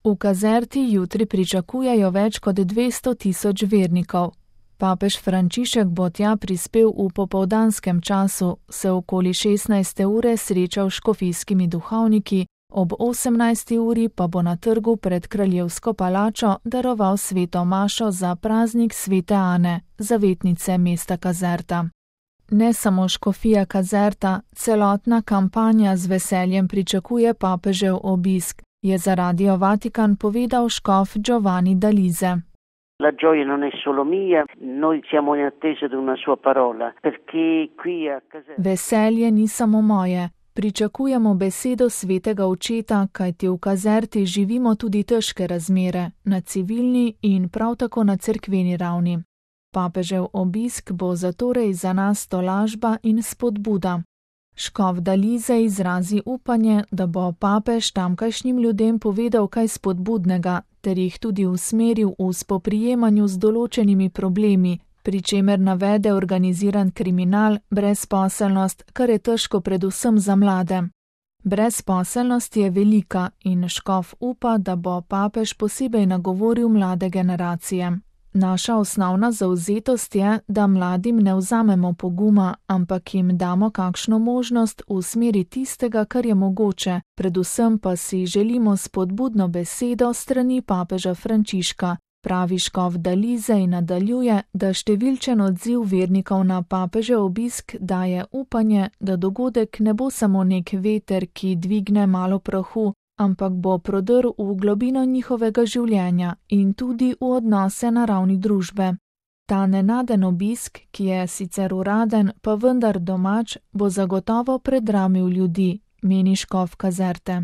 V Kazerti jutri pričakujejo več kot 200 tisoč vernikov. Papež Frančišek bo tja prispel v popoldanskem času, se okoli 16. ure srečal s škofijskimi duhovniki, ob 18. uri pa bo na trgu pred Kraljevsko palačo daroval sveto mašo za praznik svete Ane, zavetnice mesta Kazerta. Ne samo škofija Kazerta, celotna kampanja z veseljem pričakuje papežev obisk, je za Radio Vatikan povedal škof Giovanni D'Alise. La gioia non è solo mia, noi siamo in attesa di una sua parola, perché qui a Caserta. Veselje ni samo moje, pričakujemo besedo svetega očeta, kajti v Kazerti živimo tudi težke razmere, na civilni in prav tako na cerkveni ravni. Papežev obisk bo zatorej za nas tolažba in spodbuda. Škof D'Alise izrazi upanje, da bo papež tamkajšnjim ljudem povedal kaj spodbudnega, ter jih tudi usmeril v spoprijemanju z določenimi problemi, pri čemer navede organiziran kriminal, brezposelnost, kar je težko predvsem za mlade. Brezposelnost je velika in škof upa, da bo papež posebej nagovoril mlade generacije. Naša osnovna zavzetost je, da mladim ne vzamemo poguma, ampak jim damo kakšno možnost v smeri tistega, kar je mogoče, predvsem pa si želimo spodbudno besedo strani papeža Frančiška, pravi škof D'Alise in nadaljuje, da številčen odziv vernikov na papežev obisk daje upanje, da dogodek ne bo samo nek veter, ki dvigne malo prahu, ampak bo prodrl v globino njihovega življenja in tudi v odnose na ravni družbe. Ta nenaden obisk, ki je sicer uraden, pa vendar domač, bo zagotovo predramil ljudi, meni škof Kazerte.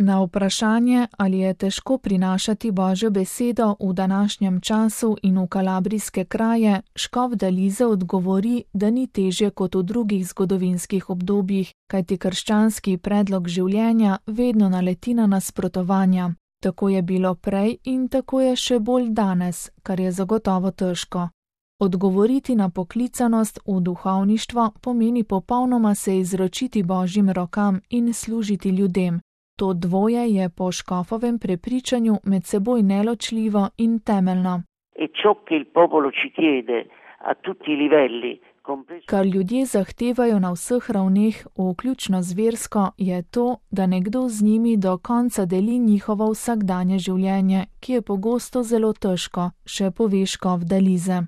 Na vprašanje, ali je težko prinašati Božjo besedo v današnjem času in v kalabrijske kraje, škof D'Alise odgovori, da ni težje kot v drugih zgodovinskih obdobjih, kajti krščanski predlog življenja vedno naleti na nasprotovanja. Tako je bilo prej in tako je še bolj danes, kar je zagotovo težko. Odgovoriti na poklicanost v duhovništvo pomeni popolnoma se izročiti Božjim rokam in služiti ljudem. To dvoje je po škofovem prepričanju med seboj neločljivo in temeljno. Kar ljudje zahtevajo na vseh ravneh, vključno z versko, je to, da nekdo z njimi do konca deli njihovo vsakdanje življenje, ki je pogosto zelo težko, še pove škof D'Alise.